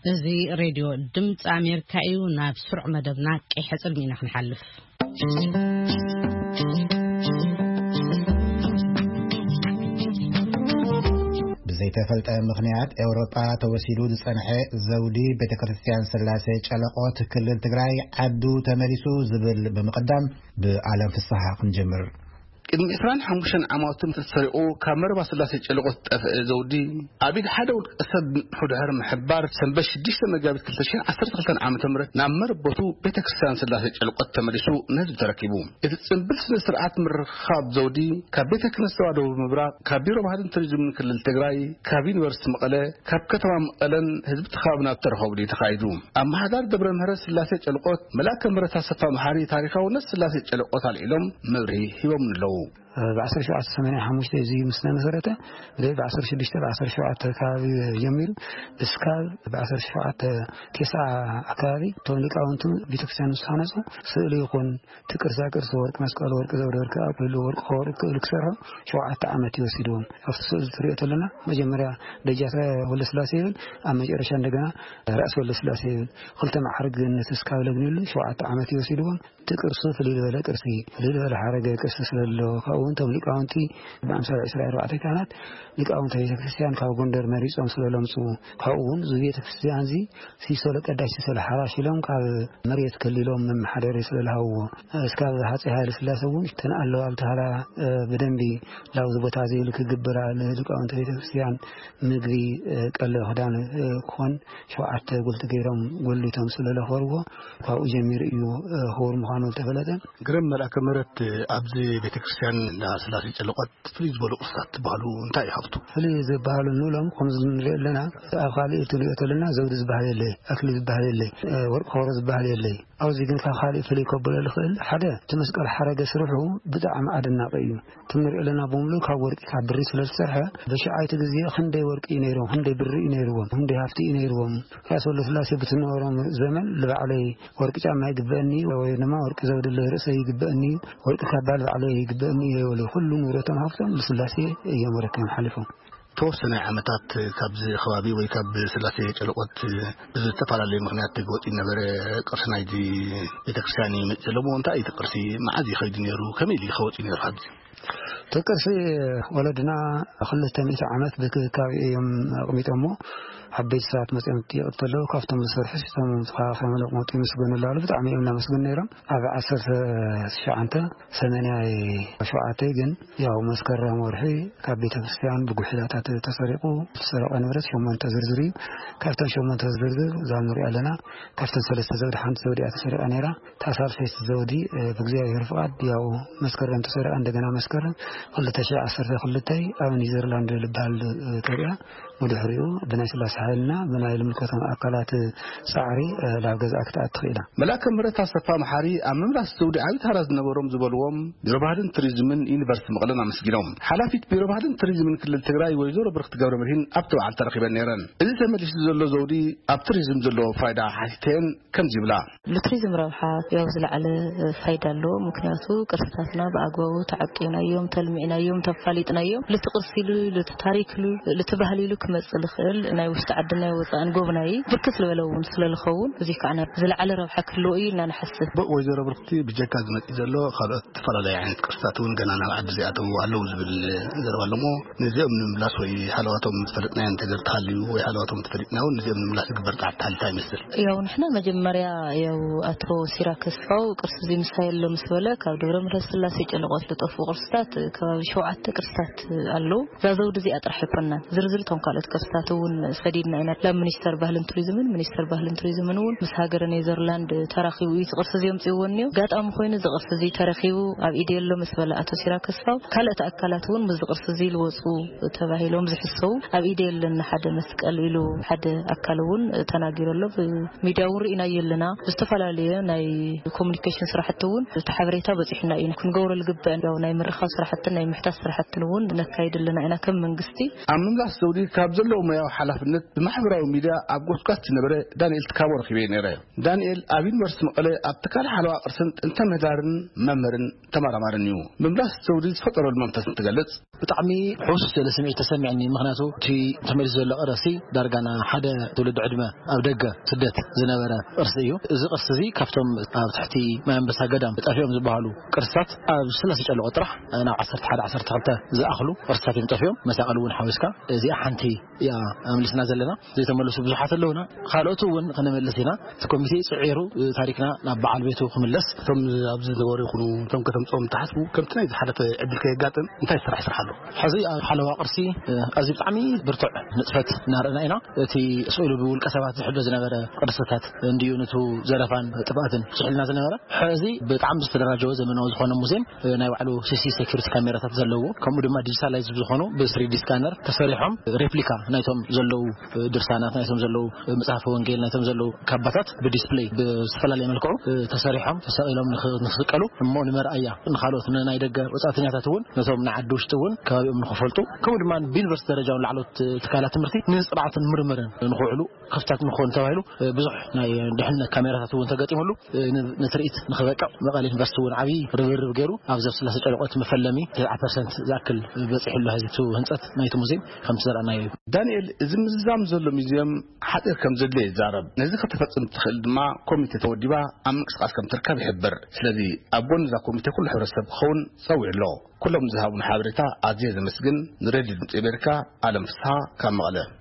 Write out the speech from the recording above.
እዚ ሬድዮ ድምፂ ኣሜሪካ እዩ። ናብ ስሩዕ መደብና ቀይሕ ጽልሚ ኢና ክንሓልፍ። ብዘይተፈልጠ ምኽንያት ኤውሮጳ ተወሲዱ ዝጸንሐ ዘውዲ ቤተ ክርስቲያን ስላሴ ጨለቆት ክልል ትግራይ ዓዱ ተመሊሱ ዝብል ብምቕዳም ብኣለም ፍስሓ ክንጀምር። ቅድሚ ዕስራን ሓሙሽተን ዓማውትን ተሰሪቑ ካብ መረባ ስላሴ ጨለቆት ዝጠፍአ ዘውዲ ኣብ ኢድ ሓደ ውልቀ ሰብ ድሕሪ ምሕባር ሰንበት ሽዱሽተ መጋቢት ክልተ ሽሕን ዓሰርተ ክልተን ዓመተ ምህረት ናብ መረበቱ ቤተ ክርስቲያን ስላሴ ጨለቆት ተመሊሱ ንህዝቢ ተረኪቡ። እቲ ጽንብል ስነ ስርዓት ምርኻብ ዘውዲ ካብ ቤተ ክህነት ተዋህዶ ምብራቕ፣ ካብ ቢሮ ባህልን ቱሪዝምን ክልል ትግራይ፣ ካብ ዩኒቨርሲቲ መቐለ፣ ካብ ከተማ መቐለን ህዝቢ ተኻብና ተረኸቡ እዩ ተኻይዱ። ኣመሓዳሪ ደብረ ምህረት ስላሴ ጨልቆት መልኣከ ምህረት ኣሰፋ መሓሪ ታሪኻውነት ስላሴ ጨልቆት ኣልዒሎም መብርሂ ሂቦም ኣለዉ። ብ ዓሰርተ ሸውዓተ ሰማንያ ሓሙሽተ እዚ ምስ ተመሰረተ፣ ብደይ ብ ዓሰርተ ሽዱሽተ ብ ዓሰርተ ሸውዓተ ከባቢ ጀሚሩ እስካብ ብ ዓሰርተ ሸውዓተ ቴስዓ ኣካባቢ እቶም ሊቃውንቱ ቤተክርስትያን ምስ ሃነጹ፣ ስእሊ ይኹን እቲ ቅርሳ ቅርሲ ወርቂ መስቀል፣ ወርቂ ዘውደ ወርቂ ኣክሊሉ፣ ወርቂ ከወርቂ ክእሉ ክሰርሑ ሸውዓተ ዓመት ይወሲድዎም። ኣብቲ ስእሊ ትሪኦ ተለና መጀመርያ ደጃተ ወልደስላሴ ይብል፣ ኣብ መጨረሻ እንደገና ራእሲ ወልደስላሴ ይብል። ክልተ ማዕርግ ነቲ እስካብ ለግኒሉ ሸውዓተ ዓመት ይወሲድዎም። እቲ ቅርሱ ፍልይ ዝበለ ቅርሲ፣ ፍልይ ዝበለ ሓረገ ቅርሲ ስለሎ፣ ካብኡ እውን እቶም ሊቃውንቲ ብኣምሳል ዕስራ ኣርባዕተ ካህናት ሊቃውንተ ቤተክርስትያን ካብ ጎንደር መሪጾም ስለለምጹ፣ ካብኡ እውን እዚ ቤተክርስትያን እዚ ሲሶ ለቀዳሽ ሲሶ ለሓራሽ ኢሎም ካብ መሬት ከሊሎም መመሓደሪ ስለዝሃብዎ፣ እስካብ ሃፀይ ሃይለ ስላሴ እውን እተን ኣለዋ ብተሃላ፣ እ፣ ብደንቢ ላብዚ ቦታ እዚ ኢሉ ክግብራ ንሊቃውንተ ቤተክርስትያን ምግቢ፣ እ፣ ቀለብ ክዳን፣ እ፣ ክኾን ሸውዓተ ጉልቲ ገይሮም ጎሊቶም ስለለኸርዎ፣ ካብኡ ጀሚሩ እዩ፣ እ፣ ክቡር ምዃኑ ዝተፈለጠ። ግርም መልኣከ ምህረት፣ ኣብዚ ቤተክርስትያን እንዳ ስላሴ ጨለቆት ፍልይ ዝበሉ ቅርስታት ትበሃሉ እንታይ እዩ ሃፍቱ? ፍልይ ዝበሃሉ ንብሎም ከምዚ ንሪኦ ኣለና፣ ኣብ ካልእ ትሪኦ ተለና ዘውዲ ዝበሃል የለይ፣ ኣክሊል ዝበሃል የለይ፣ እ፣ ወርቂ ከበሮ ዝበሃል የለይ። ኣብዚ ግን ካብ ካልእ ፍልይ ከብሎ ዝኽእል ሓደ እቲ መስቀል ሓረገ ስርሑ ብጣዕሚ ኣደናቂ እዩ። እቲ ንሪኦ ኣለና ብምሉእ ካብ ወርቂ ካብ ብሪ ስለ ዝተሰርሐ፣ በሽዓይቲ ግዜ ክንደይ ወርቂ እዩ ነይሮም፣ ክንደይ ብሪ እዩ ነይርዎም፣ ክንደይ ሃፍቲ እዩ ነይርዎም። ራስ ወልደስላሴ ብትነበሮም ዘመን ንባዕለይ ወርቂ ጫማ ይግበአኒ ወይ ድማ ወርቂ ዘውዲ ለርእሰይ ይግበአኒ፣ ወርቂ ካባ ንባዕለይ ይግበአኒ እየ ይበሉ። ኩሉ ንብረቶም ሃፍቶም ንስላሴ እዮም ኣረኪቦም ሓሊፎም። ተወሰነ ዓመታት ካብዚ ከባቢ ወይ ካብ ስላሴ ጨለቆት ብዝተፈላለየ ምኽንያት ተገወፂ ነበረ። ቅርሲ ናይዚ ቤተክርስትያን እዩ መፅእ ዘለሞ። እንታይ እዩ እቲ ቅርሲ? መዓዝ እዩ ከይዱ ነይሩ? ከመይ ኢሉ እዩ ከወፂ ነይሩ? ካብዚ እቲ ቅርሲ ወለድና ክልተ ሚእቲ ዓመት ብክብካብ እዮም ኣቕሚጦሞ። ዓበይቲ ሰባት መፅኦም ይጥይቕ እንተለዉ ካብቶም ዝሰርሑ ሲቶም ተኸባኺቦም ለቕመጡ ይምስገኑ ኣለዉ። ብጣዕሚ እዮም እናመስግኑ ነይሮም። ኣብ ዓሰርተ ትሽዓተ ሰማንያ ሸውዓተ ግን ያው መስከረም ወርሒ ካብ ቤተ ክርስቲያን ብጉሒላታት ተሰሪቑ፣ ዝተሰረቐ ንብረት ሸሞንተ ዝርዝር እዩ። ካብተን ሸሞንተ ዝርዝር እዛ ንሪኣ ኣለና፣ ካብተን ሰለስተ ዘውዲ ሓንቲ ዘውዲ እያ ተሰሪቓ ነይራ። እታ ሳልሰይቲ ዘውዲ፣ እ፣ ብእግዚኣብሔር ፍቓድ ያው መስከረም ተሰሪቓ፣ እንደገና መስከረም ክልተ ሽሕ ዓሰርተ ክልተ ኣብ ኔዘርላንድ ዝበሃል፣ እ፣ ተሪኣ። ብድሕሪኡ ብናይ ስላሴ ሓይልና ብናይ ልምልከቶም ኣካላት ጻዕሪ፣ እ፣ ናብ ገዝኣ ክትኣቱ ክኢላ። መልኣከ ምህረት ኣሰፋ መሓሪ ኣብ ምምላስ ዘውዲ ዓቢ ተራ ዝነበሮም ዝበልዎም ቢሮ ባህልን ቱሪዝምን ዩኒቨርሲቲ መቐለን ኣመስጊኖም። ሓላፊት ቢሮ ባህልን ቱሪዝምን ክልል ትግራይ ወይዘሮ ብርክቲ ገብረ መድህን ኣብቲ በዓል ተረኺበን ነይረን። እዚ ተመሊሱ ዘሎ ዘውዲ ኣብ ቱሪዝም ዘለዎ ፋይዳ ሓቲተን ከምዚ ይብላ። ንቱሪዝም ረብሓ ያው ዝለዓለ ፋይዳ ኣለዎ። ምክንያቱ ቅርስታትና ብኣግባቡ ተዓቂብናዮም፣ ተልሚዕናዮም፣ ተፋሊጥናዮም፣ ልቲ ቅርሲ ኢሉ፣ ልቲ ታሪክ ኢሉ፣ ልቲ ባህሊ ኢሉ ክመጽእ ዝኽእል ናይ ውሽጢ ዓድን ናይ ወጻእን ጎብናዪ ብርክት ዝበለ እውን ስለ ዝኸውን፣ እዚ ከዓ ናይ ዝለዓለ ረብሓ ክህልዎ እዩ ኢልና ንሓስብ። ብ-፣ ወይዘሮ ብርክቲ ብጀካ ዝመጽእ ዘሎ ካልኦት ዝተፈላለዩ ዓይነት ቅርስታት እውን ገና ናብ ዓዲ ዘይኣተዉ ኣለዉ ዝብል ዘረባ ኣለዎ። ነዚኦም ንምምላስ ወይ ሃለዋቶም ዝፈለጥናዮ እንተገር ተሃልዩ ወይ ሃለዋቶም ተፈሊጥና እውን ነዚኦም ንምምላስ ዝግበር ጻዕሪ እንታይ ይመስል? ያው ንሕና መጀመርያ ያው ኣቶ ሲራክ ተስፋው ቅርሲ እዚ ምሳይ ኣሎ ምስ በለ ካብ ደብረ ምሕረት ስላሴ ጨለቆት ዝጠፍኡ ቅርስታት ከባቢ ሸውዓተ ቅርስታት ኣለዉ። እዛ ዘውዲ እዚኣ ጥራሕ ኣይኮናን። ዝርዝር እቶም ካልኦት ቅርስታት እውን ሰዲድና ኢና። ላብ ሚኒስተር ባህልን ቱሪዝምን፣ ሚኒስተር ባህልን ቱሪዝምን እውን ምስ ሃገረ ኔዘርላንድ ተራኺቡ እዩ እዚ ቅርሲ እዚ ኣምጺእዎ እኒኦ። ኣጋጣሚ ኮይኑ እዚ ቅርሲ እዚ ተረኺቡ ኣብ ኢደይ ኣሎ ምስ በለ ኣቶ ሲራክ ተስፋው ካልኦት ኣካላት እውን ምስዚ ቅርሲ እዚ ልወፁ ተባሂሎም ዝሕሰቡ ኣብ ኢደይ ኣለኒ ሓደ መስቀል ኢሉ ሓደ ኣካል እውን ተናጊሩ ኣሎ። ብሚድያ እውን ርኢናዮ ኣለና። ብዝተፈላለየ ናይ ኮሙኒኬሽን ስራሕቲ እውን እቲ ሓበሬታ በፂሑና እዩ። ክንገብሮ ዝግበአን ያው ናይ ምርኻብ ስራሕትን ናይ ምሕታት ስራሕትን እውን ነካይድ ኣለና ኢና ከም መንግስቲ። ኣብ ምምላስ ዘውዲ ካብ ዘለዎም ሞያዊ ሓላፍነት ብማሕበራዊ ሚድያ ኣብ ጎስጓስ ዝነበረ ዳንኤል ትካቦ ረኺበ ነይረ። ዳንኤል ኣብ ዩኒቨርሲቲ መቐለ ኣብ ትካል ሓለዋ ቅርስን ጥንተ ምህዳርን መምህርን ተመራማርን እዩ። ምምላስ ዘውዲ ዝፈጠረሉ መንፈስ እንትገልጽ፣ ብጣዕሚ ሕውስ ዝበለ ስምዒት ተሰሚዕኒ። ምኽንያቱ እቲ ተመሊሱ ዘሎ ቅርሲ ዳርጋ ና ሓደ ትውልዲ ዕድመ ኣብ ደገ ስደት ዝነበረ ቅርሲ እዩ። እዚ ቅርሲ እዚ ካብቶም ኣብ ትሕቲ ማይ ኣንበሳ ገዳም ጠፊኦም ዝበሃሉ ቅርስታት ኣብ ሰለስተ ጨለቆ ጥራሕ ናብ ዓሰርተ ሓደ ዓሰርተ ክልተ ዝኣኽሉ ቅርስታት እዮም ጠፊኦም። መሳቕል እውን ሓዊስካ እዚኣ ሓንቲ እያ ኣምልስና ዘለና። ዘይተመለሱ ብዙሓት ኣለውና። ካልኦት እውን ክነመልስ ኢና። እቲ ኮሚቴ ጽዒሩ ታሪክና ናብ በዓል ቤቱ ክምለስ። እቶም ኣብዚ ዝነበሩ ይኹኑ እቶም ከተምፅኦም ትሓስቡ ከምቲ ናይ ዝሓለፈ ዕድል ከየጋጥም እንታይ ዝስራሕ ስራሕ ኣሎ? ሕዚ ኣብ ሓለዋ ቅርሲ ኣዝዩ ብጣዕሚ ብርቱዕ ንጥፈት እናረእና ኢና። እቲ ስእሉ ብውልቀ ሰባት ዝሕሎ ዝነበረ ቅርስታት እንድዩ ንቱ ዘረፋን ጥፍኣትን ስሒልና ዝነበረ። ሕዚ ብጣዕሚ ዝተደራጀወ ዘመናዊ ዝኾነ ሙዚየም፣ ናይ ባዕሉ ሲ ሲ ሴኩሪቲ ካሜራታት ዘለዎ፣ ከምኡ ድማ ዲጂታላይዝ ዝኾኑ ብ ስሪ ዲ ስካነር ተሰሪሖም ሬፕሊካ ናይቶም ዘለዉ ድርሳናት፣ ናይቶም ዘለዉ መጽሓፈ ወንጌል፣ ናይቶም ዘለዉ ካባታት ብዲስፕሌይ ብዝተፈላለየ መልክዑ ተሰሪሖም ተሰቒሎም ንኽ-፣ ንኽስቀሉ እሞ ንመርኣያ ንኻልኦት ንናይ ደገ ወጻእተኛታት እውን ነቶም ንዓዲ ውሽጢ እውን ከባቢኦም ንኽፈልጡ ከምኡ ድማ ብዩኒቨርሲቲ ደረጃ እውን ላዕሎት ትካላት ትምህርቲ ንጽንዓትን ምርምርን ንኽውዕሉ ክፍታት ንክኾኑ ተባሂሉ ብዙሕ ናይ ድሕነት ካሜራታት እውን ተገጢሙሉ ን-፣ ንትርኢት ንኽበቅዕ መቐለ ዩኒቨርሲቲ እውን ዓብዪ ርብርብ ገይሩ ኣብዚ ኣብ ስላሴ ጨለቆት መፈለሚ ተስዓ ፐርሰንት ዝኣክል በፂሕሉ ሕዚ እቲ ህንፀት ናይቲ ሙዚየም ከምቲ ዘርኣናዮ እዩ። ዳንኤል፣ እዚ ምዝዛም ዘሎ ሙዚየም ሓፂር ከም ዘድልዮ ይዛረብ። ነዚ ከተፈፅም ትኽእል ድማ ኮሚቴ ተወዲባ ኣብ ምንቅስቃስ ከም ትርከብ ይሕብር። ስለዚ ኣብ ጎኒ እዛ ኮሚቴ ኩሉ ሕብረተሰብ ክኸውን ፀዊዑ ኣሎ። ኩሎም ዝሃቡን ሓበሬታ ኣዝየ ዘመስግን። ንሬድዮ ድምፂ ኣሜሪካ ኣለም ፍስሃ ካብ መቐለ።